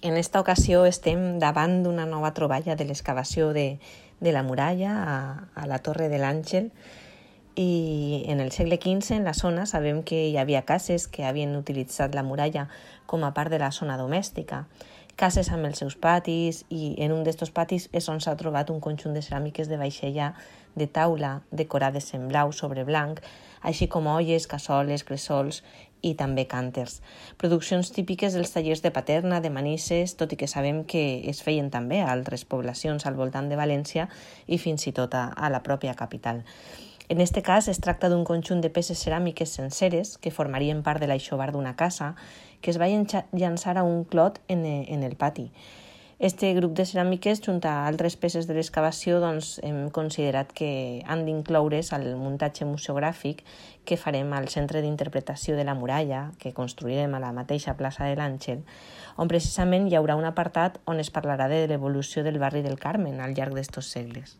En esta ocasió estem davant d'una nova troballa de l'excavació de la muralla a la Torre de l'Àngel, i en el segle XV en la zona sabem que hi havia cases que havien utilitzat la muralla com a part de la zona domèstica, cases amb els seus patis, i en un d'estos patis és on s'ha trobat un conjunt de ceràmiques de vaixella de taula decorades en blau sobre blanc, així com olles, cassoles, cressols i també cànters. Produccions típiques dels tallers de Paterna, de Manises, tot i que sabem que es feien també a altres poblacions al voltant de València i fins i tot a la pròpia capital. En aquest cas es tracta d'un conjunt de peces ceràmiques senceres que formarien part de l'aixovar d'una casa que es va llançar a un clot en el pati. Este grup de ceràmiques, junt a altres peces de l'excavació, hem considerat que han d'incloure's al muntatge museogràfic que farem al Centre d'Interpretació de la Muralla, que construirem a la mateixa plaça de l'Àngel, on precisament hi haurà un apartat on es parlarà de l'evolució del barri del Carmen al llarg d'estos segles.